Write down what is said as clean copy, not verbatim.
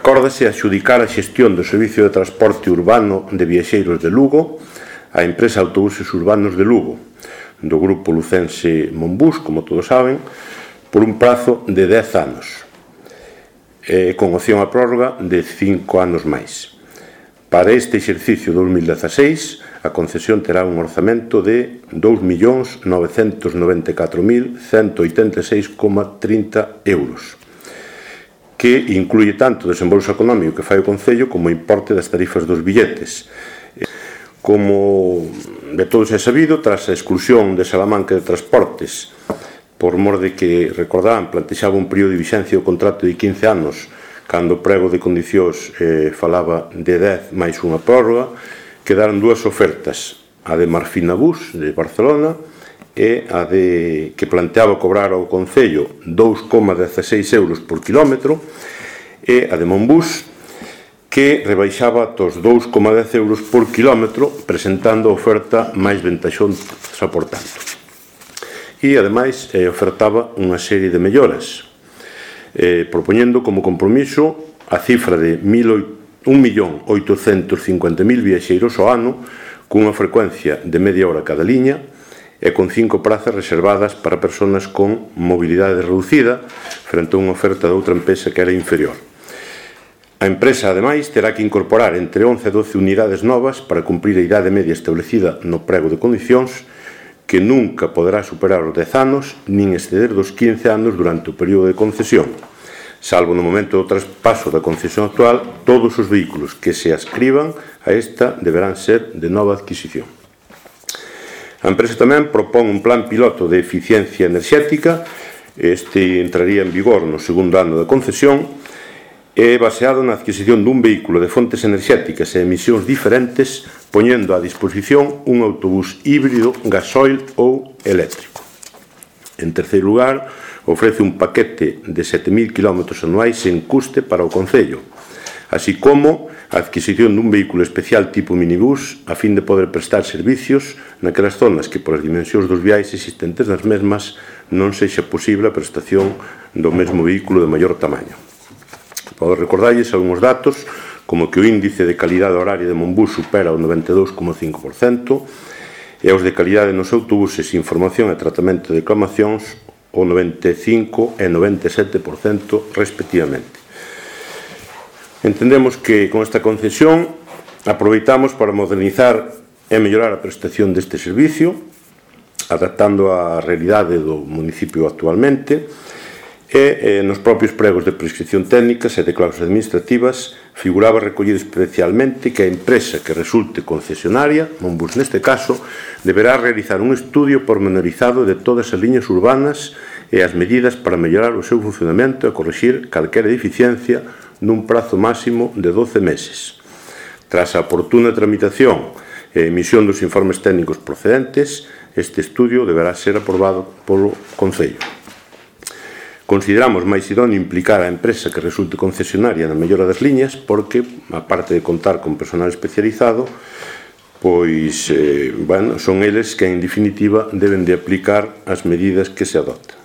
Acórdase adxudicar a xestión do Servicio de Transporte Urbano de Viaxeiros de Lugo á empresa Autobuses Urbanos de Lugo, do grupo lucense Monbus, como todos saben, por un prazo de 10 anos, con opción a prórroga de 5 anos máis. Para este exercicio 2016, a concesión terá un orzamento de 2.994.186,30 euros, que incluye tanto o desembolso económico que fai o Concello como o importe das tarifas dos billetes. Como de todos é sabido, tras a exclusión de Salamanca de Transportes, por mor de que, recordarán, plantexaba un período de vixencia do contrato de 15 anos, cando o prego de condicións falaba de 10 máis unha prórroga, quedaron dúas ofertas, a de Marfina Bus, de Barcelona, e a de que planteaba cobrar ao Concello 2,16 euros por quilómetro, e a de Monbus, que rebaixaba aos 2,10 euros por quilómetro, presentando a oferta máis ventaxosa por tanto. E, ademais, ofertaba unha serie de melloras, propoñendo como compromiso a cifra de 1.850.000 viaxeiros ao ano, cunha frecuencia de media hora cada liña, e con 5 prazas reservadas para persoas con mobilidade reducida, frente a unha oferta de outra empresa que era inferior. A empresa, ademais, terá que incorporar entre 11 e 12 unidades novas para cumprir a idade media establecida no prego de condicións, que nunca poderá superar os 10 anos, nin exceder dos 15 anos durante o período de concesión. Salvo no momento do traspaso da concesión actual, todos os vehículos que se adscriban a esta deberán ser de nova adquisición. A empresa tamén propón un plan piloto de eficiencia enerxética. Este entraría en vigor no segundo ano da concesión e baseado na adquisición dun vehículo de fontes enerxéticas e emisións diferentes, poñendo a disposición un autobús híbrido, gasoil ou eléctrico. En terceiro lugar, ofrece un paquete de 7.000 km anuais sen custe para o Concello, así como a adquisición dun vehículo especial tipo minibús a fin de poder prestar servicios naquelas zonas que, por as dimensións dos viais existentes nas mesmas, non sexa posible a prestación do mesmo vehículo de maior tamaño. Podo recordarlles algúns datos, como que o índice de calidade horaria de Monbus supera o 92,5% e os de calidade nos autobuses, información e tratamento de reclamacións o 95% e 97% respectivamente. Entendemos que con esta concesión aproveitamos para modernizar e mellorar a prestación deste servicio, adaptando a realidade do municipio actualmente, e nos propios pregos de prescripción técnicas e de cláusulas administrativas figuraba recollido especialmente que a empresa que resulte concesionaria, Monbus neste caso, deberá realizar un estudio pormenorizado de todas as liñas urbanas e as medidas para mellorar o seu funcionamento e corrixir calquera deficiencia nun prazo máximo de 12 meses. Tras a oportuna tramitación e emisión dos informes técnicos procedentes, este estudio deberá ser aprobado polo Concello. Consideramos máis idóneo implicar a empresa que resulte concesionaria na mellora das liñas porque, aparte de contar con personal especializado, pois, son eles que, en definitiva, deben de aplicar as medidas que se adopten.